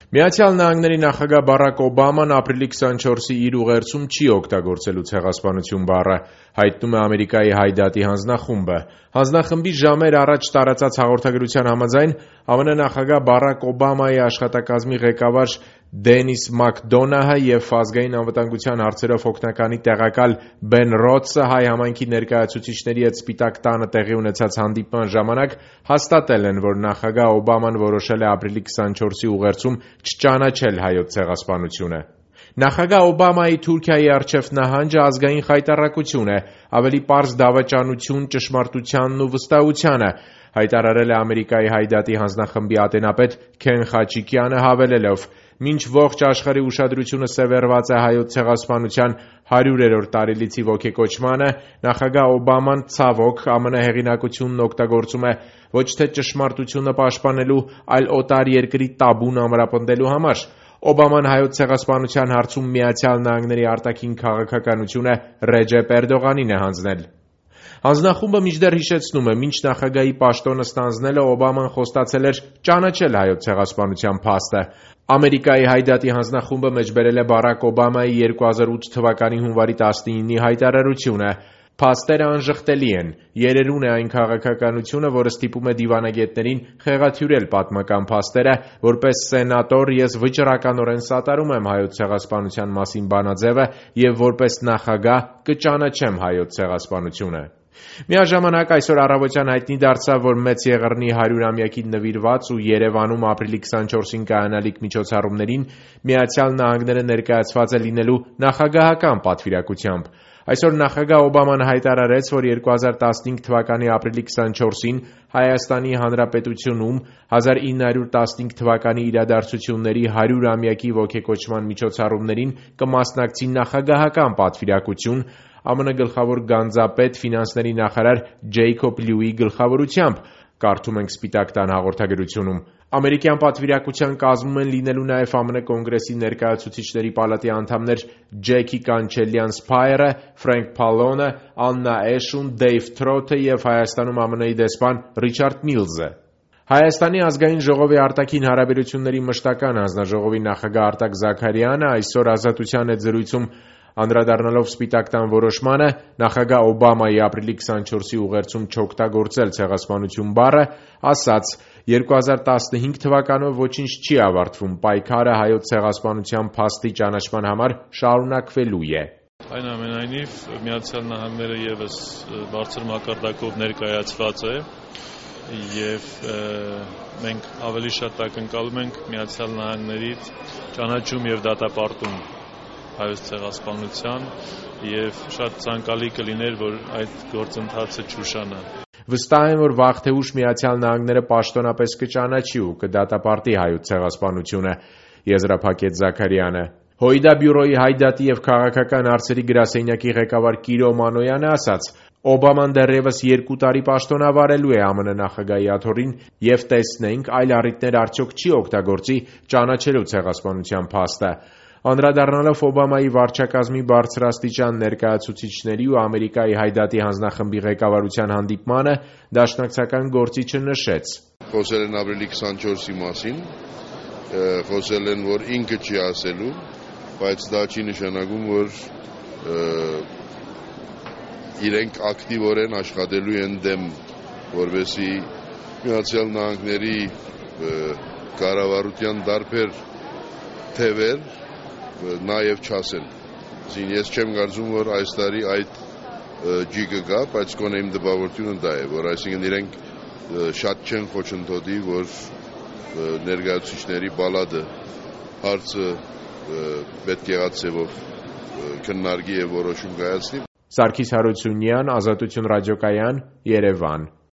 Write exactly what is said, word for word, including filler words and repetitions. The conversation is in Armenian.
Միացյալ Նահանգների նախագահ Բարակ Օբաման ապրիլի քսանչորսի իր ուղերձում չի օգտագործելու ցեղասպանություն բառը, հայտնում է Ամերիկայի Հայդատի հանձնախումբը։ Հանձնախմբի ժամեր առաջ տարածած հաղորդագրության համաձայն ԱՄՆ նախագահ Բարակ Օբամայի աշխատակազմի ղեկավար Դենիս Մակդոնահը և ազգային անվտանգության հարցերով օգնականի տեղակալ Բեն Ռոդսը հայ համայնքի ներկայացուցիչների հետ Սպիտակ տանը տեղի ունեցած հանդիպման ժամանակ հաստատել են, որ նախագահ Օբաման որոշել է ապրիլի քսանչորսի ուղերձում չճանաչել հայոց ցեղասպանությունը։ Նախագահ Օբամայի Թուրքիայի առջև նահանջը ազգային խայտառակություն է, ավելի պարզ դավաճանություն ճշմարտությանն ու վստահությանը, հայտարարել է Ամերիկայի Հայդատի հանձնախմբի ատենապետ Քեն Խաչիկյանը, հավելելով. «Մինչ ողջ աշխարհի ուշադրությունը սևեռված է հայոց ցեղասպանության հարյուրերորդ տարելիցի ոգեկոչմանը, նախագահ Օբաման ցավոք ԱՄՆ հեղինակությունն օգտագործում է ոչ թե ճշմարտությունը պաշտպանելու, այլ օտար երկրի տաբուն ամրապնդելու համար»։ Օբաման հայոց ցեղասպանության հարցում Միացյալ Նահանգների արտաքին քաղաքականությունը Ռեջեփ Էրդողանին է հանձնել։ Հանձնախումբը մինչդեռ հիշեցնում է, մինչ նախագահի պաշտոնը ստանձնելը Օբաման խոստացել էր ճանաչել հայոց ցեղասպանության փաստը։ Ամերիկայի Հայդատի հանձնախումբը մեջբերել է Բարակ Օբամայի երկու հազար ութ թվականի հունվարի տասնինի հայտարարությունը. «Փաստերը անժխտելի են, երերուն է այն քաղաքականությունը, որը ստիպում է դիվանագետներին խեղաթյուրել պատմական փաստերը, որպես սենատոր ես վճռականորեն սատարում եմ հայոց ցեղասպանության մասին բանաձևը և որպես նախագահ կճանաչեմ հայոց ցեղասպանությունը»։ Միաժամանակ այսօր առավոտյան հայտնի դարձավ, որ Մեծ Եղեռնի հարյուրամյակին նվիրված ու Երևանում ապրիլի քսանչորսին կայանալիք միջոցառումներին Միացյալ Նահանգները ներկայացված է լինելու նախագահական պատվիրակությամբ։ Այսօր նախագահ Օբաման հայտարարեց, որ երկու հազար տասնհինգ թվականի ապրիլի քսանչորսին Հայաստանի Հանրապետությունում հազար ինը հարյուր տասնհինգ թվականի իրադարձությունների հարյուրամյակի ոգեկոչման միջոցառումներին կմասնակցի նախագահական պատվիրակություն ԱՄՆ գլխավոր գանձապետ, ֆինանսների նախարար Ջեյքոբ Լյուի գլխավորությամբ, կարդում ենք Սպիտակ տան հաղորդագրությունում։ Ամերիկյան պատվիրակության կազմում են լինելու նաև ԱՄՆ Կոնգրեսի ներկայացուցիչների պալատի անդամներ Ջեքի Կանչելյան Սփայերը, Ֆրենք Փալոնը, Աննա Էշուն, Դեյվ Թրոթը և Հայաստանում ԱՄՆ-ի դեսպան Ռիչարդ Միլզը։ Հայաստանի ազգային ժողովի արտաքին հարաբերությունների մշտական հանձնաժողովի նախագահ Արտակ Զաքարյանը այսօր Ազատության հետ զրույցում անդրադառնալով Սպիտակ տան որոշմանը նախագահ Օբամայի ապրիլի քսանչորսի ուղերձում չօգտագործել ցեղասպանություն բառը, ասաց. «երկու հազար տասնհինգ թվականով ոչինչ չի ավարտվում, պայքարը հայոց ցեղասպանության փաստի ճանաչման համար շարունակվելու է»։ Այնուամենայնիվ Միացյալ Նահանգները ևս բարձր մակարդակով ներկայացված է և մենք ավելի շատ ակնկալում ենք Միացյալ Նահանգներից ճանաչում և դատապարտում հայոց ցեղասպանության և շատ ցանկալի կլիներ, որ այդ գործընթացը չուշանա։ Վստահ եմ, որ վաղ թե ուշ Միացյալ Նահանգները պաշտոնապես կճանաչի ու կդատապարտի հայոց ցեղասպանությունը, եզրափակեց Զաքարյանը։ ՀՅԴ բյուրոյի հայդատի և քաղաքական հարցերի գրասենյակի ղեկավար Կիրո Մանոյանը ասաց. «Օբաման դեռևս երկու տարի պաշտոնավարելու է ԱՄՆ նախագահի աթոռին և տեսնենք այլ առիթներ արդյոք չի օգտագործի ճանաչելու ցեղասպանության փաստը»։ Անդրադառնալով Օբամայի վարչակազմի բարձրաստիճան ներկայացուցիչների ու Ամերիկայի Հայդատի հանձնախմբի ղեկավարության հանդիպմանը, դաշնակցական գործիչը նշեց. «Խոսել են ապրիլի քսանչորսի մասին, խոսել են, որ ինքը չի ասելու, բայց դա չի նշանակում, որ իրենք ակտիվորեն աշխատելու են դեմ, որպեսզի Միացյալ Նահանգների կառավարության տարբեր թևեր նաև չասեն։ Ես չեմ կարծում, որ այս տարի այդ ջիգը գա, բայց գոնե իմ տպավորությունը դա է, որ այսինքն իրենք շատ չեն խոչընդոտի, որ ներկայացուցիչների պալատը հարցը պետք եղած ձևով քննարկի և որոշում կայացնի։ Սարգիս Հարությունյան, Ազատություն ռադիոկայան, Երևան։